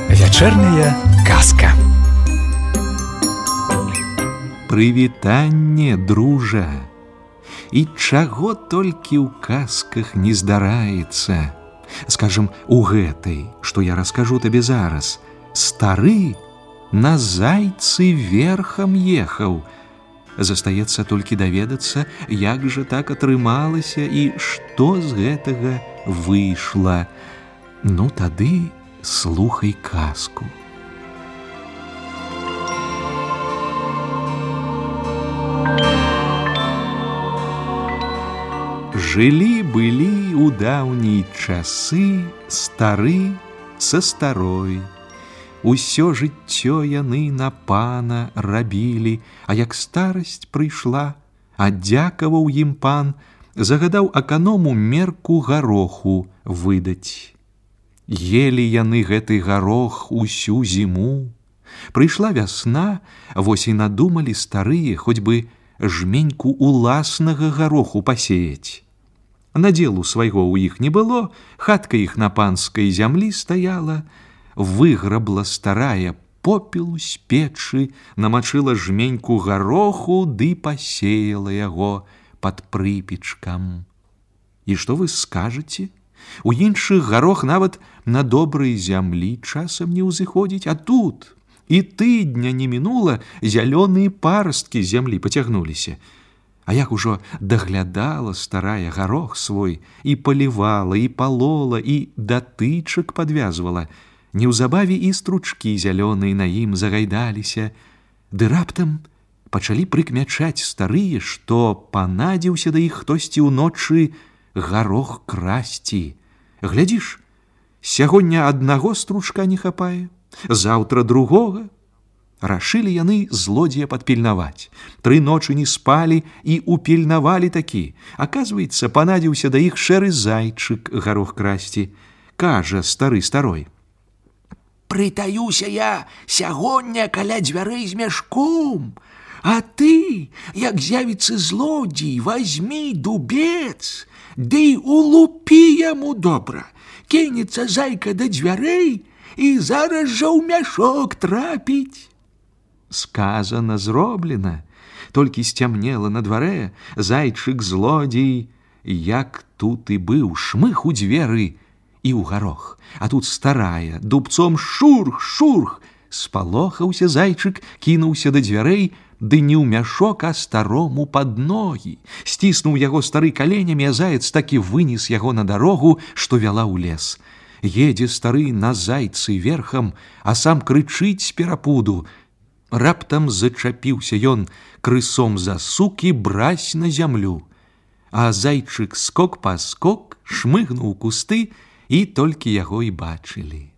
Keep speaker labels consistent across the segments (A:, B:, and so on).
A: Вечерняя казка.
B: Прывітанне, дружа. І чаго толькі ў казках не здараецца. Скажем, у гэтай, што я раскажу табе зараз, стары на зайцы верхам ехаў. Застаецца толькі даведацца, як жа так атрымалася і што з гэтага выйшла. Ну тады слухай казку. Жылі-былі ў даўнія часы стары са старой. Усё жыццё яны на пана рабілі, а як старасць прыйшла, адзякаваў ім пан, загадаў аканому мерку гароху выдаць. Елі яны гэты гарох усю зіму. Прыйшла вясна, вось і надумалі старыя хоць бы жменьку уласнага гароху пасеяць. Надзелу свайго ў іх не было, хатка іх на панскай зямлі стаяла, выграбла старая попел з печы, намачыла жменьку гароху ды пасеяла яго пад прыпечкам. І што вы скажаце? У іншых гарох нават на добрай зямлі часам не ўзыходзіць, а тут і тыдня не мінула, зялёныя парасткі з зямлі пацягнуліся. А як ужо даглядала старая гарох свой, і палівала, і палола, і датычак падвязвала, неўзабаве і стручкі зялёныя на ім загайдаліся, ды раптам пачалі прыкмячаць старыя, што панадзіўся да іх хтосьці ўночы гарох красці. Глядзіш, сягоння аднаго стручка не хапае, заўтра другога. Рашылі яны злодзея падпільнаваць. 3 ночы не спалі і упільнавалі такі. Аказваецца, панадзіўся да іх шэры зайчык гарох красці. Кажа стары старой:
C: «Прытаюся я сягоння каля дзвярэй з мяшком, а ты, як з'явіцца злодзей, вазьмі дубец, ды улупі яму добра. Кінецца зайка да дзвярэй і зараз жа ў мяшок трапіць».
B: Сказана, зроблена. Толькі сцямнела на дварэ, зайчык злодзей, як тут і быў, шмых у дзверы і ў гарох. А тут старая дубцом шурх-шурх. Спалохаўся зайчык, кінуўся да дзвярэй, ды не ў мяшок, а старому пад ногі. Сціснуў яго стары каленямі, а заяц такі вынес яго на дарогу, што вяла ў лес. Едзе стары на зайцы верхам, а сам крычыць з перапуду. Раптам зачапіўся ён крысом за сук і брась на зямлю. А зайчык скок-паскок шмыгнуў кусты, і толькі яго і бачылі.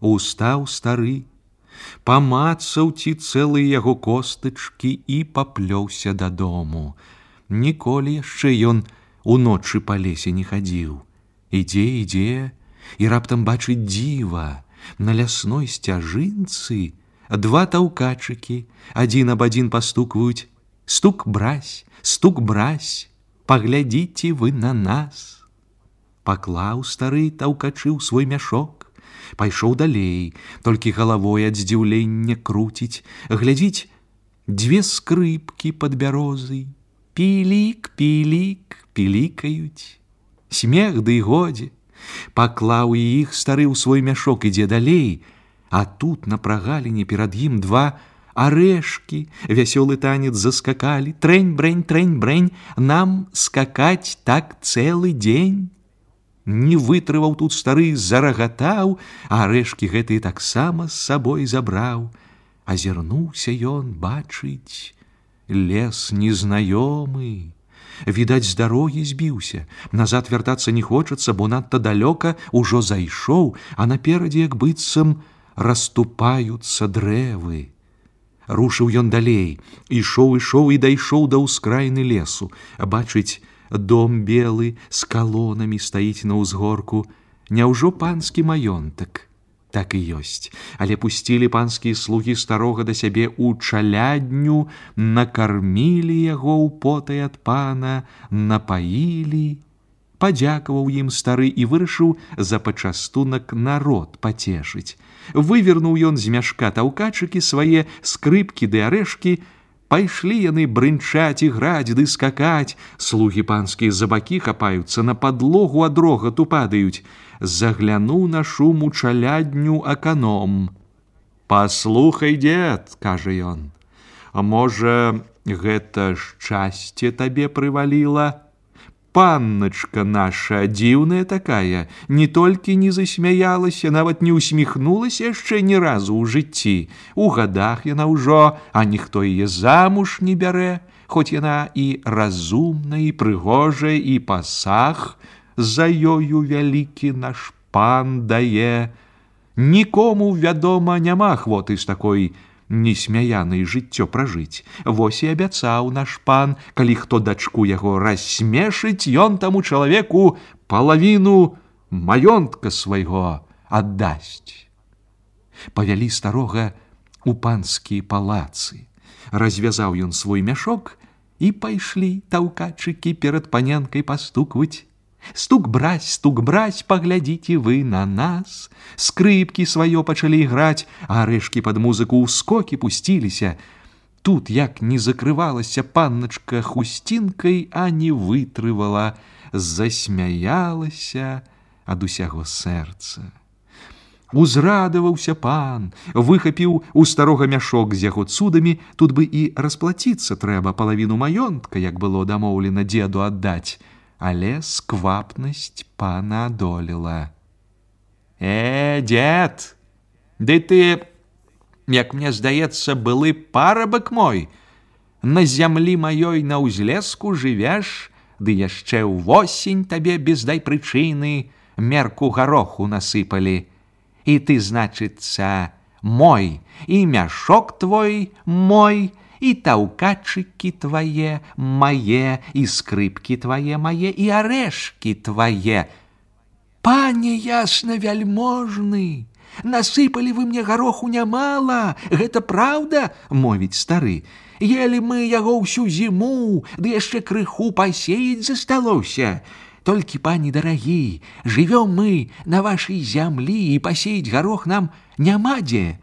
B: Устаў стары, памацаў ці цэлыя яго костачкі і паплёўся дадому. Ніколі яшчэ ён уночы па лесе не хадзіў. Ідзе, і раптам бачыць дзіва. На лясной сцяжынцы 2 таўкачыкі адзін аб адзін пастукваюць: «Стук-брась, стук-брась, паглядзіце вы на нас». Паклаў стары таўкачы ў свой мяшок, пайшоў далей, толькі галавой ад здзіўлення круціць, глядзіць, 2 скрыпкі пад бярозай, пілік-пілік, пілікаюць. Смех ды годзе. Паклаў і іх стары ў свой мяшок, ідзе далей, а тут на прагаліне перад ім 2 арэшкі, вясёлы танец заскакалі. Трэнь-брэнь, трэнь-брэнь, нам скакаць так цэлы дзень. Не вытрываў тут стары, зарагатаў, а арэшкі гэтыя таксама з сабой забраў. Азірнуўся ён, бачыць, лес незнаёмы. Відаць, з дарогі збіўся. Назад вяртацца не хочацца, бо надта далёка ўжо зайшоў, а наперадзе, як быццам, расступаюцца дрэвы. Рушыў ён далей, ішоў і дайшоў да ўскраіны лесу. Бачыць, дом белы з калонамі стаіць на ўзгорку. Няўжо панскі маёнтак? Так і ёсць, але пусцілі панскія слугі старога да сябе ў чалядню, накармілі яго ў потай ад пана, напаілі. Падзякаваў ім стары і вырашыў за пачастунак народ пацешыць. Вывернуў ён з мяшка таўкачыкі свае, скрыпкі ды арэшкі. Пайшлі яны брынчаць і граць ды скакаць. Слугі панскія за бакі хапаюцца, на падлогу ад рогату падаюць. Заглянуў на шум у чалядню аканом. «Паслухай, дзед, — кажа ён, — а можа, гэта шчасце табе прываліла? Панначка наша дзіўная такая, не толькі не засмяялася, нават не усміхнулася яшчэ ні разу ў жыцці. У гадах яна ўжо, а ніхто яе замуж не бярэ, хоць яна і разумная, і прыгожая, і пасаг за ёю вялікі наш пан дае. Нікому, вядома, няма ахвоты з такой несмяянай жыццё пражыць. Вось і абяцаў наш пан, калі хто дачку яго рассмешыць, ён таму чалавеку палавіну маёнтка свайго аддасць. Павялі старога ў панскія палацы. Развязаў ён свой мяшок, і пайшлі таўкачыкі перад паненкай пастукваць. Стук браць, паглядзіце вы на нас. Скрыпкі сваё пачалі іграць, а арэшкі пад музыку ў скокі пусціліся. Тут як не закрывалася панначка хусцінкай, а не вытрывала, засмяялася ад усяго сэрца. Узрадаваўся пан, выхапіў у старога мяшок з яго цудамі, тут бы і расплаціцца трэба, палавіну маёнтка, як было дамоўлена дзеду аддаць. Але сквапнасць пана адолела. Дзед, ды ты, як мне здаецца, былы парабак мой. На зямлі маёй на ўзлеску жывеш, ды яшчэ ўвосень табе без дай прычыны мерку гароху насыпалі. І ты, значыцца, мой, і мяшок твой мой, і таўкачыкі твае мае, і скрыпкі твае мае, і арэшкі твае. Пане ясна вяльможны, насыпалі вы мне гароху нямала, гэта праўда, мовіць стары. Елі мы яго ўсю зіму, ды яшчэ крыху пасеяць засталося. Толькі, пане дарагі, жывём мы на вашай зямлі, і пасеяць гарох нам няма дзе.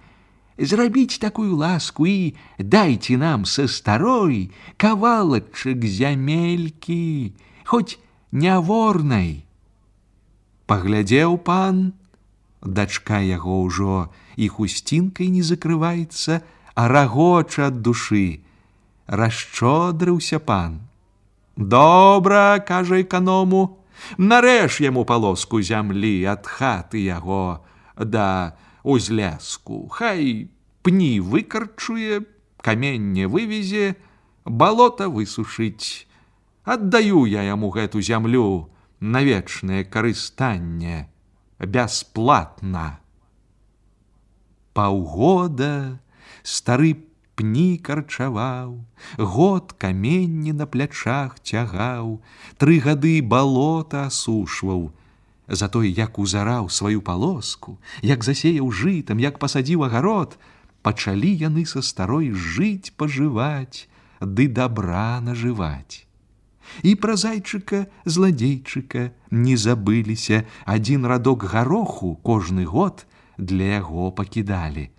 B: Зрабіць такую ласку і дайце нам са старой кавалачак зямелькі, хоць няворнай. Паглядзеў пан, дачка яго ўжо і хусцінкай не закрываецца, а рагоча ад душы. Расшчодрыўся пан. Добра, кажа эканому, нарэж яму палоску зямлі ад хаты яго да узляску, хай пні выкарчуе, каменне вывезе, балота высушыць. Аддаю я яму гэту зямлю на вечнае карыстанне, бясплатна. Паўгода стары пні карчаваў, год каменне на плячах цягаў, 3 гады балота асушваў. Затой, як узараў сваю палоску, як засеяў жытам, як пасадзіў агарод, пачалі яны са старой жыць, пажываць, ды дабра нажываць. І пра зайчыка, зладзейчыка не забыліся, адзін радок гароху кожны год для яго пакідалі.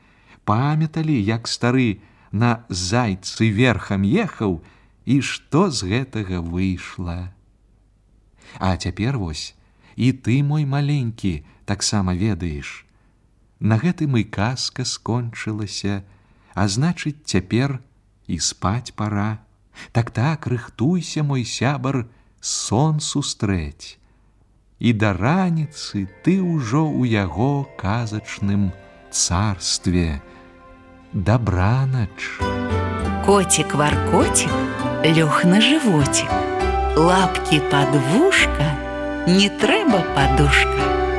B: Памяталі, як стары на зайцы верхам ехаў, і што з гэтага выйшла. А цяпер вось, і ты, мой маленькі, таксама ведаеш. На гэтым і казка скончылася, а значыць, цяпер і спаць пара. Так, рыхтуйся, мой сябар, сон сустрэць. І да раніцы ты ўжо ў яго казачным царстве. Дабранач.
D: Котик-варкотик лёг на животик, лапки под вушка, не трэба подушка.